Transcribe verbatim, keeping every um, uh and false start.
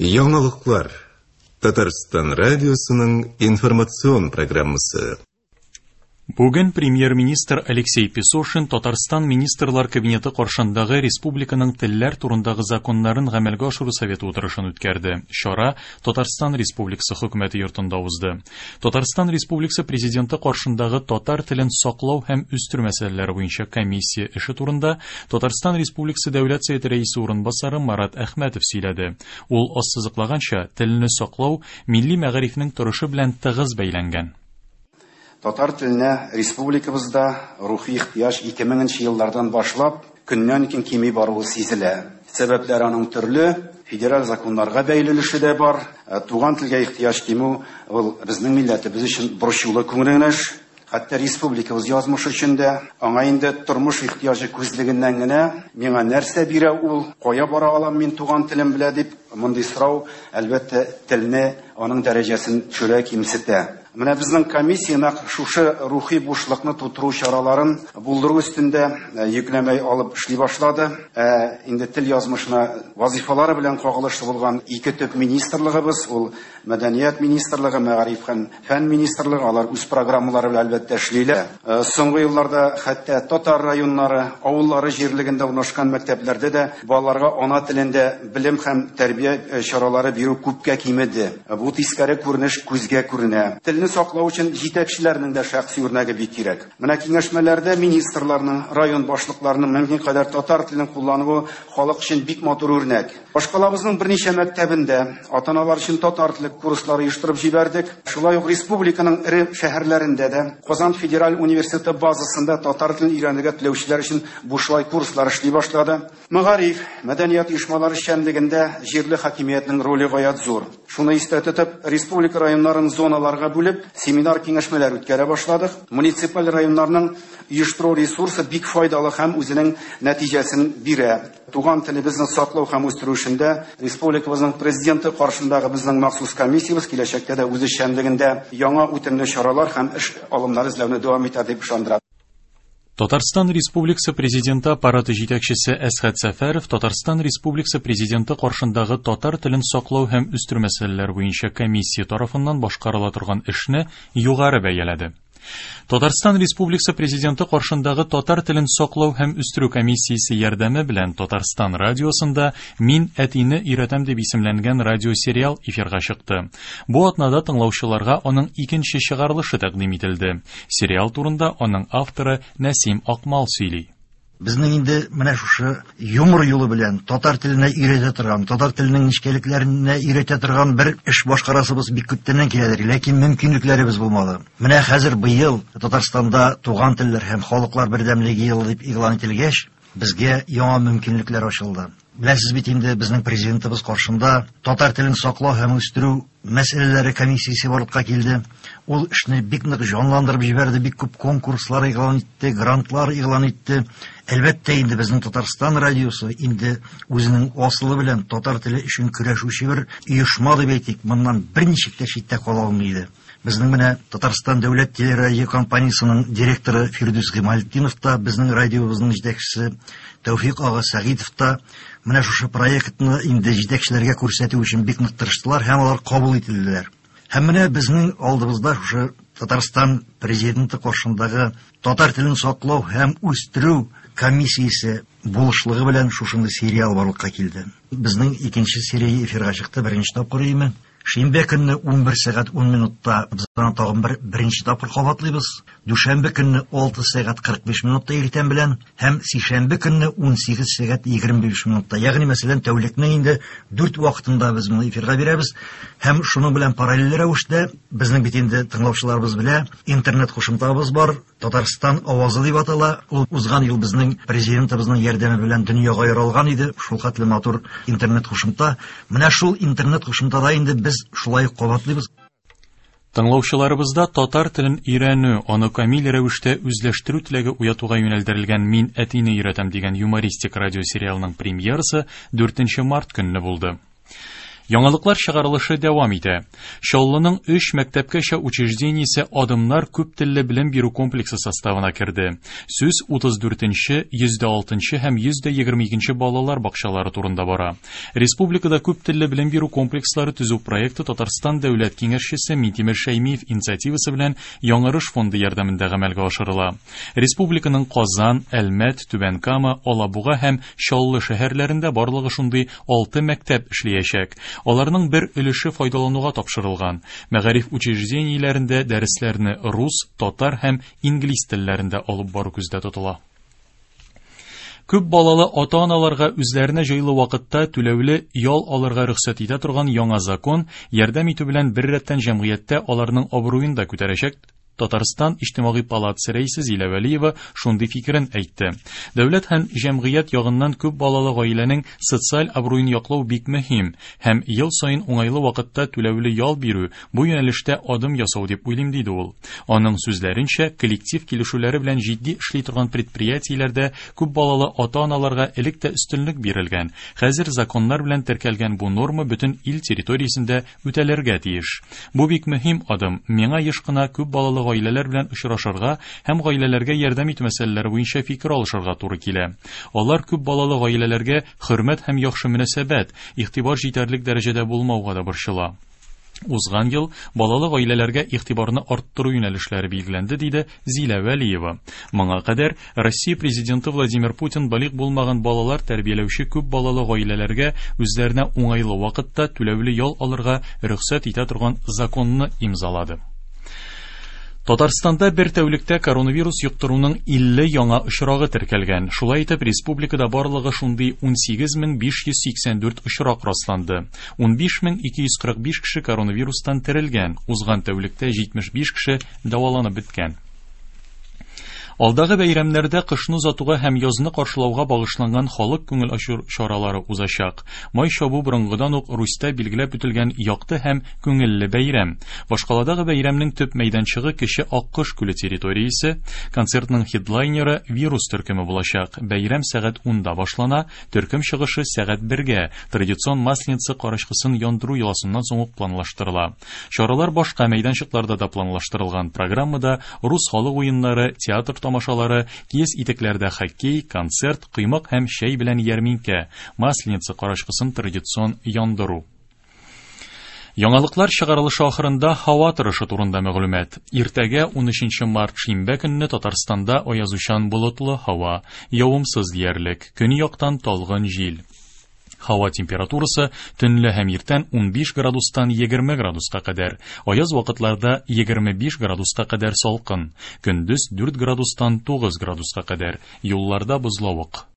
Яңалыклар. Татарстан радиосының информацион программасы. Бүген премьер-министр Алексей Песошин Татарстан Министрлар Кабинеты каршындагы республиканың телләр турындагы законнарын гамәлгә ашыру советы утырышын үткәрде. Чара Татарстан Республикасы хөкүмәте йортында узды. Татарстан Республикасы президенты каршындагы татар телен саклау һәм үстерү мәсьәләләре буенча комиссия эше турында Татарстан Республикасы Дәүләт Советы рәисе урынбасары Марат Әхмәтов сөйләде. Ул ассызыклаганча, телне саклау милли мәгарифнең торышы белән тыгыз бәйләнгән. Татар теленә республикабызда рухи ихтыяҗ ике меңенче еллардан башлап көннән-көн кими баруы сизелә. Сәбәпләр аның төрле, федераль законнарга бәйле өлеше дә бар. Туган телгә ихтыяҗ кимү ул безнең милләтебез өчен борчулы күренеш. Хәтта республикабыз язмышы өчен дә аңа инде тормыш ихтыяҗы күзлегеннән генә миңа нәрсә бирә ул, кая бара алам мин туган телем белә дип мондый сорау әлбәттә телне аның дәрәҗәсен төшерә, кимсетә. Менә безнең комиссия нәкъ шушы рухи бушлыкны тутыру чараларын булдыру өстендә йөкләмә алып эшли башлады. Ә инде тел язмышына вазифалары белән кагылышлы булган ике төп министрлыгыбыз, ул Мәдәният министрлыгы, Мәгариф һәм фән министрлыгы, алар үз программалары белән әлбәттә эшлиләр. Соңгы елларда хәтта татар районнары, авыллары җирлегендә урнашкан мәктәпләрдә дә балаларга ана телендә белем һәм тәрбия чаралары бирү күпкә кимеде. Бу тискәре күренеш күзгә күренә. Телне саклау өчен җитәкчеләрнең дә шәхси үрнәге бик кирәк. Менә киңәшмәләрдә министрларның, район башлыкларының мөмкин кадәр татар телен куллануы халык өчен бик матур үрнәк. Башкалабызның берничә мәктәбендә ата-аналар өчен татар теле курслары оештырып җибәрдек. Шулай ук республиканың эре шәһәрләрендә дә Казан федераль университеты базасында татар телен өйрәнергә теләүчеләр өчен бушлай курслар эшли башлады. Мәгариф, мәдәният оешмалары эшчәнлегендә җирле хакимиятнең роле гаять зур. Шуны истә тотып, республика районнарын зоналарга бүлеп, семинар киңәшмәләр үткәрә башладык. Муниципаль районнарның оештыру ресурсы бик файдалы һәм үзенең нәтиҗәсен бирә. Туган телебезне саклау һәм үстерү эшендә республикабызның президенты каршындагы безнең махсус комиссиябез киләчәктә дә үз эшчәнлегендә яңа үтемле чаралар һәм эш алымнары эзләүне дәвам итә дип ышандыра. Татарстан Республикасы Президенты аппараты җитәкчесе Әсхәт Сәфәров Татарстан Республикасы Президенты каршындагы татар телен саклау һәм үстерү мәсьәләләре буенча комиссия тарафыннан башкарыла торган эшне югары бәяләде. Татарстан Республикасы Президенты каршындагы татар телен саклау һәм үстерү комиссиясе ярдәме белән Татарстан радиосында Мин әтине өйрәтәм дип исемләнгән радиосериал эфирга чыкты. Бу атнада тыңлаучыларга аның икенче чыгарылышы тәкъдим ителде. Сериал турында аның авторы Нәсим Акмал сөйли. Безнең инде менә шушы юмор юлы белән татар теленә өйрәтә торган, татар теленең нечкәлекләренә өйрәтә торган бер эш башкарасыбыз бик күптәннән киләдер, ләкин мөмкинлекләребез булмады. Менә хәзер быел Татарстанда туган телләр һәм халыклар бердәмлеге елы дип игълан ителгәч, безгә яңа мөмкинлекләр ачылды. Беләсез бит инде безнең президентыбыз каршында татар телен саклау һәм үстерү мәсьәләләре комиссиясе барлыкка килде. Ул эшне бик нык җанландырып җибәрде, бик күп конкурслар игълан итте, грантлар игълан итте. Әлбәттә инде безнең Татарстан радиосы инде үзенең асылы белән татар теле өчен көрәшүче бер оешма дип әйтик, моннан берничек тә читтә кала алмый иде. Безнең менә Татарстан дәүләт телерадиокомпаниясенең директоры Фирдүс Гыймалтдинов та, безнең радиобызның җитәкчесе Тәүфик ага Сәгыйтов та менә шушы проектны инде җитәкчеләргә күрсәтү өчен бик нык тырыштылар һәм алар кабул ителделәр. Һәм менә безнең алдыбызда шушы Татарстан президенты каршындагы татар телен саклау һәм үстерү комиссиясе булышлыгы белән шушындый сериал барлыкка килде. Безнең икенче серия эфирга чыкты, беренче тапкыр име. Шимбә көнне ун бер сәгать ун минутта без аны тагын бер беренче тапкыр кабатлыйбыз. Дүшәмбе көнне алты сәгать кырык биш минутта иртән белән һәм сишәмбе көнне ун сигез сәгать егерме биш минутта. Ягъни мәсәлән, тәүлекнең инде дүрт вакытында без моны эфирга бирәбез һәм шуның белән параллель рәвештә безнең бит инде тыңлаучыларыбыз белә, интернет кушымтабыз бар, Татарстан авазы дип атала. Ул узган ел безнең президентыбызның ярдәме белән дөньяга яралган иде. Шул хәтле матур интернет кушымта. Менә шул интернет кушымтада инде без шулай кабатлыйбыз. Тыңлаучыларыбызда татар телен өйрәнү, аны камил рәвештә үзләштерү теләге уятуга юнәлдерелгән Мин әтине өйрәтәм дигән юмористик радиосериалның премьерасы дүртенче март көнне булды. Яңалыклар чыгарылышы дәвам итә. Чаллының өч мәктәпкәчә учреждениесе Адымнар күп телле белем бирү комплексы составына керде. Сүз утыз дүртенче, йөз дә алтынчы һәм йөз дә егерме икенче балалар бакчалары турында бара. Республикада күп телле белем бирү комплекслары төзү проекты Татарстан дәүләт киңәшчесе Минтимер Шәймиев инициативасы белән Яңарыш фонды ярдәмендә гамәлгә ашырыла. Республиканың Казан, Әлмәт, Түбән Кама, Алабуга һәм Чаллы шәһәрләрендә барлыгы шундый алты мәктәп эшләячәк. Аларның бер өлеше файдалануга тапшырылган. Мәгариф учреждениеләрендә дәресләрне рус, татар һәм инглиз телләрендә алып бару күздә тотыла. Күп балалы ата-аналарга үзләренә җайлы вакытта түләүле ял алырга рөхсәт итә торган яңа закон ярдәм итү белән бер рәттән җәмгыятьтә аларның абруен да күтәрәчәк. Татарстан Иҗтимагый палатасы рәисе Зилә Вәлиева шундый фикерен әйтте. Дәүләт һәм җәмгыять ягыннан күп балалы гаиләнең социаль абруен яклау бик мөһим һәм ел саен уңайлы вакытта түләүле ял бирү бу юнәлештә адым ясау дип уйлыйм, диде ул. Аның сүзләренчә, коллектив килешүләре белән җитди эшли торган предприятиеләрдә күп балалы ата-аналарга элек тә өстенлек бирелгән. Хәзер законнар белән теркәлгән бу норма бөтен ил территориясендә үтәлергә тиеш. Бу бик мөһим адым. Миңа еш кына күп балалы гаиләләр белән очрашырга һәм гаиләләргә ярдәм итү мәсьәләләре буенча фикер алышырга туры килә. Алар күп балалы гаиләләргә хөрмәт һәм яхшы мөнәсәбәт, игътибар җитәрлек дәрәҗәдә булмауга да борчыла. Узган ел балалы гаиләләргә игътибарны арттыру юнәлешләре билгеләнде, диде Зилә Вәлиева. Моңа кадәр Россия президенты Владимир Путин балигъ булмаган балалар тәрбияләүче күп балалы гаиләләргә үзләренә уңайлы вакытта түләүле ял алырга рөхсәт итә торган законны имзалады. Татарстанда бер тәүлектә коронавирус йоктыруның илле яңа очрагы теркәлгән. Шулай итеп, республикада барлыгы шундый ун сигез мең биш йөз сиксән дүрт очрак расланды. ун биш мең ике йөз кырык биш кеше коронавирустан терелгән. Узган тәүлектә җитмеш биш кеше дәваланып беткән. Алдагы бәйрәмнәрдә кышны озатуга һәм язны каршылауга багышланган халык күңел ачу чаралары узачак. Май чабу борынгыдан ук Русьта билгеләп үтелгән якты һәм күңелле бәйрәм. Башкаладагы бәйрәмнең төп мәйданчыгы Кече Аккош күле территориясе. Концертның хедлайнеры Вирус төркеме булачак. Бәйрәм сәгать унда башлана, төркем чыгышы сәгать бергә. Традицион Масленица карачкысын яндыру йоласыннан соң ук планлаштырыла. Чаралар башка мәйданчыкларда да планлаштырылган. Программада рус халык уеннары, театр тамашалары, киез итекләрдә хоккей, концерт, коймак һәм чәй белән ярминкә, Масленица карачкысын традицион яндыру. Яңалыклар чыгарылышы ахырында һава торышы турында мәгълүмат. Иртәгә ун өченче март шимбә көнне Татарстанда аязучан болытлы һава, явымсыз диярлек, көньяктан талгын җил. Һава температурасы төнлә һәм иртән ун биш градустан егерме градуска кадәр, аяз вакытларда егерме биш градуска кадәр салкын, көндез дүрт градустан тугыз градуска кадәр, юлларда бозлавык.